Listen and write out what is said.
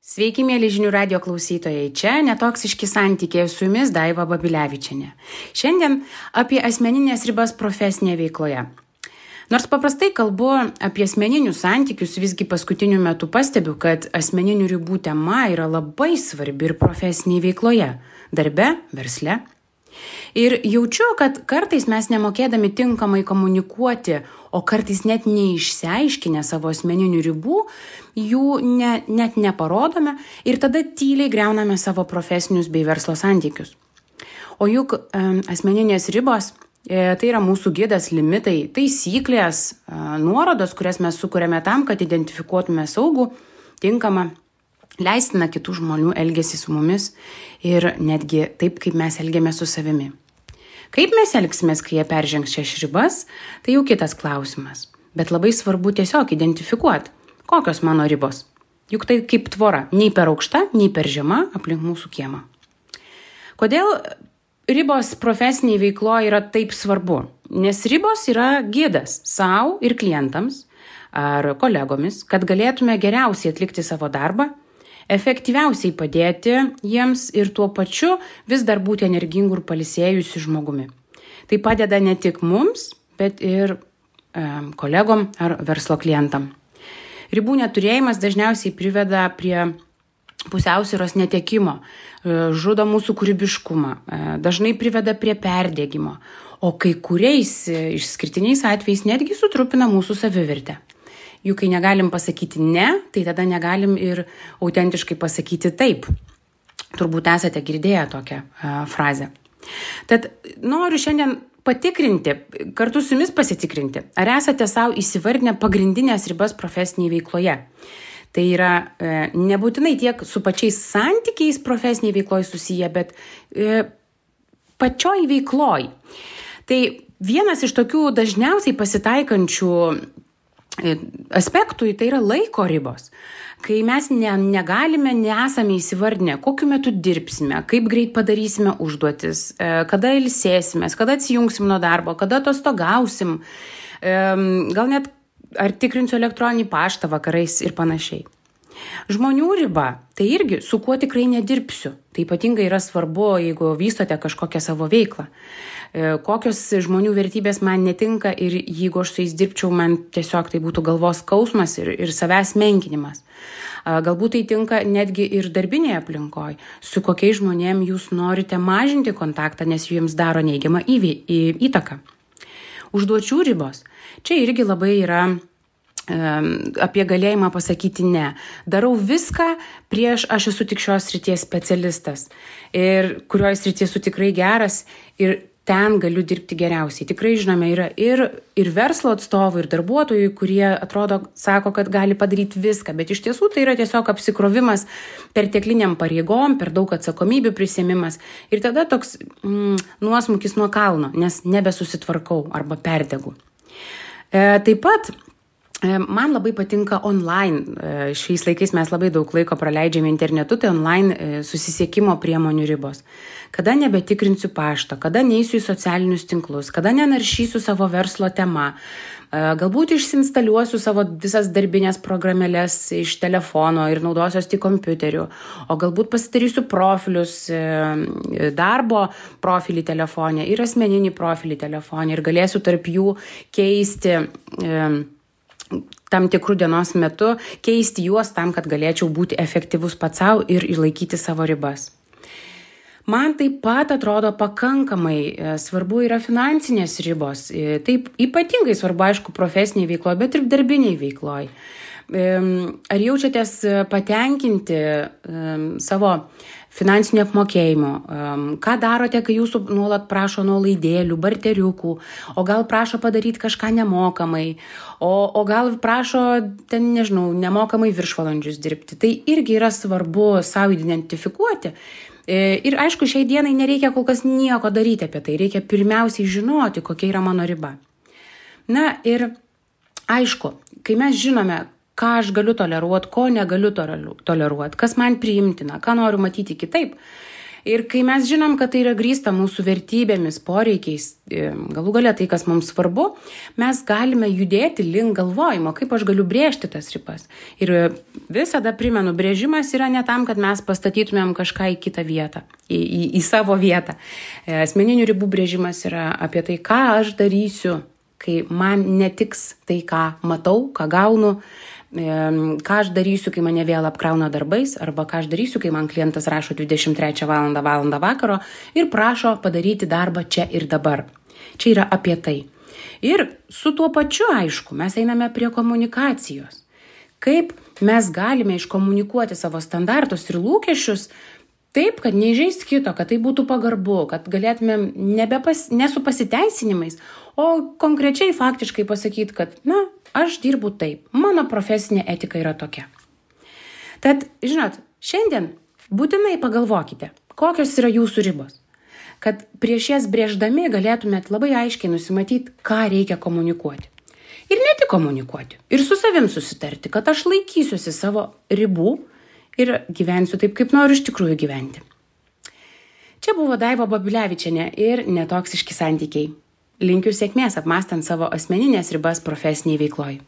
Sveiki, mėly žinių radio klausytojai. Čia Netoksiški santykiai, su jumis Daiva Babilevičienė. Šiandien apie asmeninės ribas profesinėje veikloje. Nors paprastai kalbu apie asmeninius santykius, visgi paskutiniu metu pastebiu, kad asmeninių ribų tema yra labai svarbi ir profesinėje veikloje, darbe, versle. Ir jaučiu, kad kartais mes nemokėdami tinkamai komunikuoti, o kartais net neišsiaiškinę savo asmeninių ribų, jų net neparodome ir tada tyliai griauname savo profesinius bei verslo santykius. O juk asmeninės ribos tai yra mūsų gidas, limitai, taisyklės, nuorodos, kurias mes sukuriame tam, kad identifikuotume saugų, tinkamą, leistiną kitų žmonių elgesį su mumis ir netgi taip, kaip mes elgiamės su savimi. Kaip mes elgsimės, kai jie peržengs šias ribas, tai jau kitas klausimas. Bet labai svarbu tiesiog identifikuoti, kokios mano ribos. Juk tai kaip tvora, nei per aukšta, nei per žema aplink mūsų kiemą. Kodėl ribos profesiniai veikloje yra taip svarbu? Nes ribos yra gidas savo ir klientams ar kolegomis, kad galėtume geriausiai atlikti savo darbą, efektyviausiai padėti jiems ir tuo pačiu vis dar būti energingų ir pailsėjusių žmogumi. Tai padeda ne tik mums, bet ir kolegom ar verslo klientam. Ribų neturėjimas dažniausiai priveda prie pusiausvyros netekimo, žudo mūsų kūrybiškumą, dažnai priveda prie perdegimo, o kai kuriais išskirtiniais atvejais netgi sutrupina mūsų savivertę. Juk kai negalim pasakyti ne, tai tada negalim ir autentiškai pasakyti taip. Turbūt esate girdėję tokią frazę. Tad noriu šiandien patikrinti, kartu su jumis pasitikrinti, ar esate savo įsivardinę pagrindinės ribas profesinėje veikloje. Tai yra nebūtinai tiek su pačiais santykiais profesinėje veikloje susiję, bet pačioj veikloje. Tai vienas iš tokių dažniausiai pasitaikančių aspektų tai yra laiko ribos. Kai mes negalime, nesame įsivardinę, kokiu metu dirbsime, kaip greit padarysime užduotis, kada ilsėsimės, kada atsijungsim nuo darbo, kada atostogausim, gal net ar tikrinsiu elektroninį paštą vakarais ir panašiai. Žmonių riba, tai irgi su kuo tikrai nedirbsiu. Tai ypatingai yra svarbu, jeigu vystote kažkokią savo veiklą. Kokios žmonių vertybės man netinka ir jeigu aš su jais dirbčiau, man tiesiog tai būtų galvos skausmas ir savęs menkinimas. Galbūt tai tinka netgi ir darbinėje aplinkoje, su kokiais žmonėm jūs norite mažinti kontaktą, nes jums daro neigiamą įtaką. Užduočių ribos. Čia irgi labai yra apie galėjimą pasakyti ne. Darau viską prieš aš esu tik šios srities specialistas ir kurioje srityje esu tikrai geras ir ten galiu dirbti geriausiai. Tikrai žinome, yra ir verslo atstovų, ir darbuotojų, kurie sako, kad gali padaryti viską, bet iš tiesų tai yra tiesiog apsikrovimas pertekliniam pareigom, per daug atsakomybių prisėmimas ir tada toks nuosmukis nuo kalno, nes nebesusitvarkau arba perdegu. Taip pat man labai patinka online. Šiais laikais mes labai daug laiko praleidžiame internetu, tai online susisiekimo priemonių ribos. Kada nebetikrinsiu pašto, kada neisiu į socialinius tinklus, kada nenaršysiu savo verslo tema, galbūt išsinstaliuosiu savo visas darbinės programėlės iš telefono ir naudosios tik kompiuteriu, o galbūt pasidarysiu profilius, darbo profilį telefone ir asmeninį profilį telefone ir galėsiu tarp jų keisti tam tikrų dienos metu, keisti juos tam, kad galėčiau būti efektyvus pats savo ir išlaikyti savo ribas. Man taip pat atrodo pakankamai svarbu yra finansinės ribos. Taip ypatingai svarbu, aišku, profesinėje veikloje, bet ir darbinėje veikloje. Ar jaučiatės patenkinti savo finansinių apmokėjimų? Ką darote, kai jūsų nuolat prašo nuolaidėlių, barteriukų, o gal prašo padaryti kažką nemokamai, o gal prašo ten, nemokamai viršvalandžius dirbti. Tai irgi yra svarbu savo identifikuoti. Ir aišku, šiai dienai nereikia kol kas nieko daryti apie tai. Reikia pirmiausiai žinoti, kokia yra mano riba. Na ir aišku, kai mes žinome, ką aš galiu toleruoti, ko negaliu toleruoti, kas man priimtina, ką noriu matyti kitaip, Ir kai mes žinom, kad tai yra grįsta mūsų vertybėmis, poreikiais, galų galia tai, kas mums svarbu, mes galime judėti link galvojimo, kaip aš galiu brėžti tas ribas. Ir visada primenu, brėžimas yra ne tam, kad mes pastatytumėm kažką į kitą vietą, į savo vietą. Asmeninių ribų brėžimas yra apie tai, ką aš darysiu, kai man netiks tai, ką matau, ką gaunu, ką aš darysiu, kai mane vėl apkrauna darbais, arba ką aš darysiu, kai man klientas rašo 23 valandą vakaro ir prašo padaryti darbą čia ir dabar. Čia yra apie tai. Ir su tuo pačiu, aišku, mes einame prie komunikacijos. Kaip mes galime iškomunikuoti savo standartus ir lūkesčius taip, kad neįžeist kito, kad tai būtų pagarbu, kad galėtumėm ne su pasiteisinimais, o konkrečiai faktiškai pasakyti, kad, aš dirbu taip, mano profesinė etika yra tokia. Tad, žinot, šiandien būtinai pagalvokite, kokios yra jūsų ribos, kad prieš jas brėždami galėtumėt labai aiškiai nusimatyti, ką reikia komunikuoti. Ir ne tik komunikuoti, ir su savim susitarti, kad aš laikysiuosi savo ribų ir gyvensiu taip, kaip noriu iš tikrųjų gyventi. Čia buvo Daiva Babilevičienė ir Netoksiški santykiai. Linkiu sėkmės apmąstant savo asmeninės ribas profesiniai veikloj.